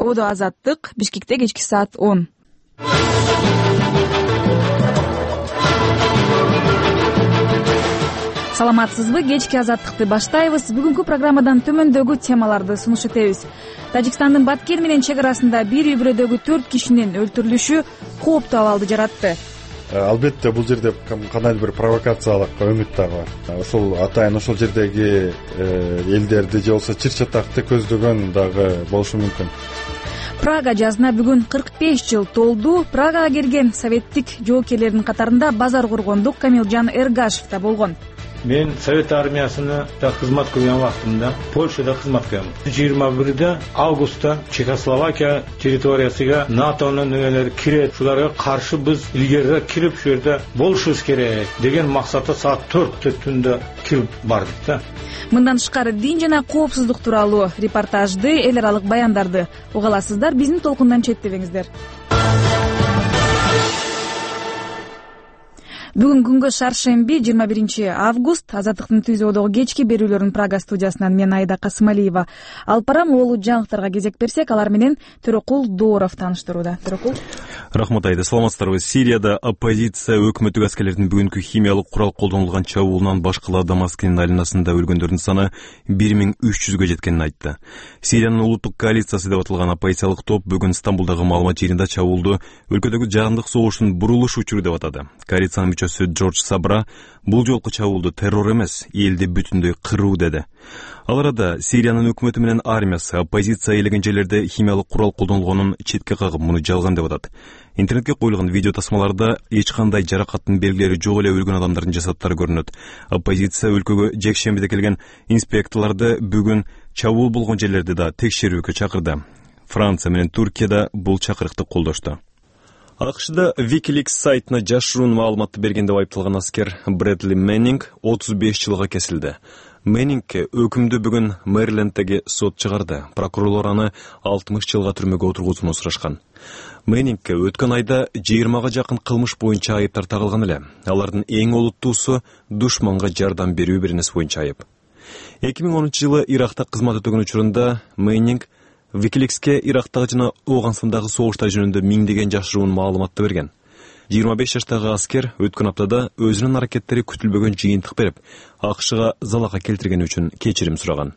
Ободо Азаттык, Бишкекте кечки саат 10. Саламатсызбы? Кечки Азаттыкты баштайбыз. Бүгүнкү программадан төмөндөгү темаларды сунуш этебиз. Тажикстандын Баткен менен чек арасында бир үй-бүлөдөгү 4 кишинин өлтүрүлүшү кооптуу абалды жаратты. Албетте бул жерде кандайдыр бир провокациялык үмүт дагы бар. Ошол атайын ошол жердеги элдерди же болбосо чыр чатакты көздөгөн дагы болушу мүмкүн. Прага жазына бүгүн 45 жыл толду. Прагага келген советтик жоокерлердин катарында базар коргондук Камилжан Эргашев да болгон. Мен Совет армиясына кызмат кылган убактымда Польшада кызмат кылдым. 21 августта Чехословакия территориясыга НАТОнун нөмөлөрү кирет. Шуларга каршы биз илгерирээк кирип, шу жерде болушубуз керек деген максатта саат 4 түндө кирип бардык да. Мындан тышкары дин жана коопсуздук тууралуу репортажды, эл аралык баяндарды уга аласыздар. Биздин толкундан четтебеңиздер. Бүгүн күнгө шаршемби 21 август. Азаттыктын түзөөдөгү кечки берүүлөрүн Прага студиясынан мен Айда Касымалиева алып барам. Улуу жаңылыктарга кезек берсек, алар менен Төрөкул Дооров тааныштырууда. Төрөкул. Рахмат Айда, саламатсыздарбы? Сирияда оппозиция өкмөттүк аскерлердин бүгүнкү химиялык курал колдонулган чабуулунан башкала Дамаскинин айланасында өлгөндөрдүн саны 1300-гө жеткенин айтты. Сириянын улуттук коалициясы деп аталган оппозициялык топ бүгүн Стамбулдагы маалымат жеринде чабуулду өлкөдөгү жаһандык согуштун бурулуш учуру деп атады. Коалициянын мүчөсү Джордж Сабра бул жолку чабуулду террор эмес, элди бүтүндөй кыруу деди. Ал арада Сириянын өкмөтү менен армиясы оппозиция ээлеген жерлерде химиялык курал колдонулгонун четке кагып, муну жалган деп атат. Интернетке коюлган видео тасмаларда эч кандай жаракаттын белгилери жок эле өлгөн адамдардын жасаттары көрүнөт. Оппозиция өлкөгө жекшембиде келген инспекторлорду бүгүн чабуул болгон жерлерди да текшерүүгө чакырды. Франция менен Туркияда бул чакырыкты колдошту. АКШда Wikileaks сайтына жашыруун маалыматты берген деп айыпталган аскер Брэдли Меннинг 35 жылга кесилди. Меннингке өкүмдү бүгүн Мэриленддеги сот чыгарды. Прокурорлор аны 60 жылга түрмөгө отургузууну сурашкан. Меннингке өткөн айда 20га жакын кылмыш боюнча айыптар тагылган эле. Алардын эң олуттуусу душманга жардам берүү беренеси боюнча айып. 2010 жылы Иракта кызмат өтөгөн учурунда Меннинг Wikileaks'ке Ирактагы жана Ооганстандагы согуштар жөнүндө миңдеген жашыруун маалыматты берген. 25 жаштагы аскер өткөн аптада өзүнүн аракеттери күтүлбөгөн жыйынтык берип, АКШга залалга келтиргени үчүн кечирим сураган.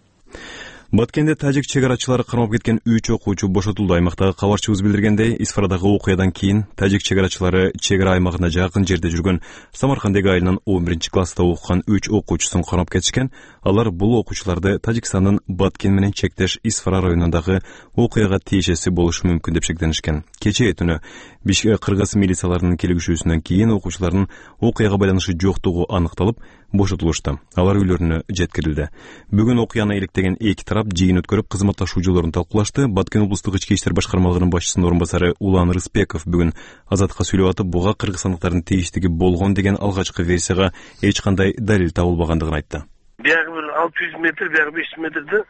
Баткенде тажик чегарачылары кармап кеткен 3 окуучу бошотулду. Аймактагы кабарчыбыз билдиргендей, Исфарадагы окуядан кийин тажик чегарачылары чегара аймагына жакын жерде жүргөн Самаркандеги айылынын 11-класста окуган 3 окуучусун кармап кетишкен. Алар бул окуучуларды Тажикстандын Баткен менен чектеш Исфара районундагы окуяга тиешеси болушу мүмкүн деп шектенишкен. Кечээ түнү Бишкек кыргыз милицияларынын келгишүүсүнөн кийин окуучулардын окуяга байланышы жоктугу аныкталып, бошотулушту. Алар үйлөрүнө жеткирилди. Бүгүн окуяны иликтеген эки тарап жыйын өткөрүп, кызматташуу жолдорун талкуулашты. Баткен облустук ички иштер башкармалыгынын башчысынын орун басары Улан Рыспеков бүгүн Азаттыкка сүйлөп атып, буга кыргызстандыктардын тийиштиги болгон деген алгачкы версияга эч кандай далил табылбагандыгын айтты. Бягы 600 метр, бягы 500 метрди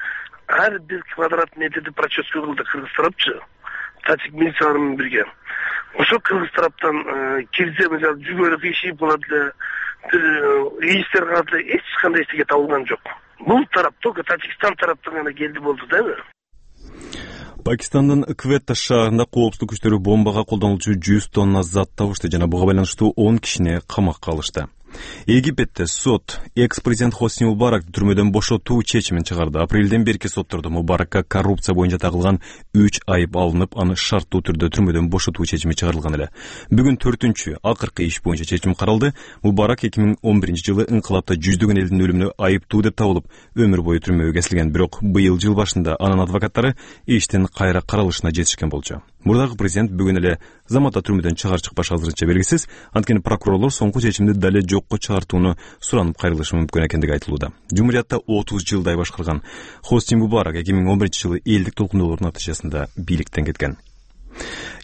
ар бир квадрат метрди проческа кылды кыргыз тарапчы. Тажик милициялар менен бирге. Ошо кыргыз тараптан кирсе, мисалы, жүгөрү ишип калат эле, иштер калат эле, эч кандай эчтеке табылган жок. Бул тарап только Тажикстан тараптан гана келди болду да. Пакистандын Кветта шаарында коопсуздук күчтөрү бомбага колдонулчу 100 тонна зат табышты жана буга байланыштуу 10 кишини камакка алышты. Египетте сот экс-президент Хосни Мубарак түрмөдөн бошотуу чечимин чыгарды. Апрелден берки соттордо Мубаракка коррупция боюнча тагылган 3 айып алынып, аны шарттуу түрдө түрмөдөн бошотуу чечими чыгарылган эле. Бүгүн 4-чү акыркы иш боюнча чечим каралды. Мубарак 2011 жылы инкылапта жүздөгөн элдин өлүмүнө айыптуу деп табылып, өмүр бою түрмөгө кесилген. Бирок быйыл жыл башында анын адвокаттары иштин кайра каралышына жетишкен болчу. Мурдагы президент бүгүн эле заматта түрмөдөн чыгар-чыкпаш азырынча белгисиз. Анткени прокурорлор соңку чечимди дале жокко чыгартууну суранып кайрылышы мүмкүн экендиги айтылууда. Жумуриятта 30 жылдай башкарган Хосни Мубарак 2011 жылы элдик толкундоолордун натыйжасында бийликтен кеткен.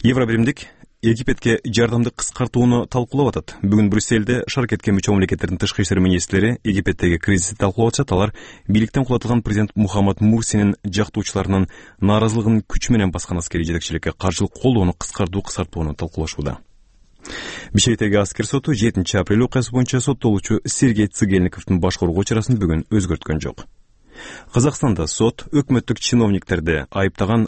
Евробиримдик Египетке жардамды кыскартууну талкуулап атат. Бүгүн Брюссельде шаркетке мүчө мамлекеттердин тышкы иштер министрлери Египеттеги кризисти талкуулап атышат. Алар бийликтен кулатылган президент Мухаммад Мурсинин жактоочуларынын нааразылыгын күч менен баскан аскерий жетекчиликке каршылык колдоону кыскартууну талкуулашууда. Бишкектеги аскер соту 7 апрель окуясы боюнча соттолуучу Сергей Цыгельниковдун башкаруу чарасын бүгүн өзгөрткөн жок. Казакстанда сот өкмөттүк чиновниктерди айыптаган